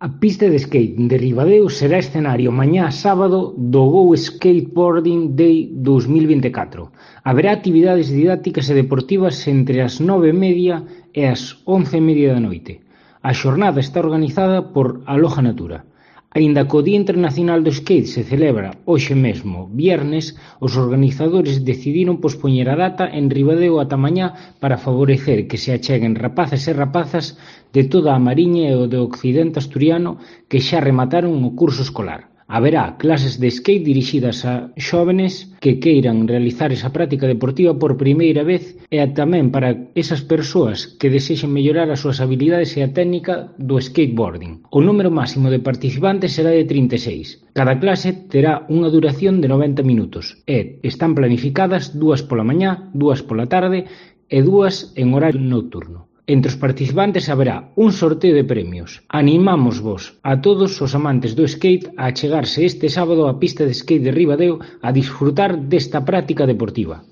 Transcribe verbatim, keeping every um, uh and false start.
A pista de skate de Ribadeo será escenario mañá sábado do Go Skateboarding Day dous mil vinte e catro. Haberá actividades didácticas e deportivas entre as nove e media e as once e media da noite. A xornada está organizada por Aloha Natura. Aínda que o Día Internacional do Skate se celebra hoxe mesmo, viernes, os organizadores decidiron pospoñer a data en Ribadeo ata mañá para favorecer que se acheguen rapaces e rapazas de toda a Mariña e o do occidente asturiano que xa remataron o curso escolar. Haberá clases de skate dirixidas a xóvenes que queiran realizar esa práctica deportiva por primeira vez e tamén para esas persoas que desexen mellorar as súas habilidades e a técnica do skateboarding. O número máximo de participantes será de trinta e seis. Cada clase terá unha duración de noventa minutos e están planificadas dúas pola mañá, dúas pola tarde e dúas en horario nocturno. Entre os participantes haberá un sorteo de premios. Animámosvos a todos os amantes do skate a achegarse este sábado á pista de skate de Ribadeo a disfrutar desta práctica deportiva.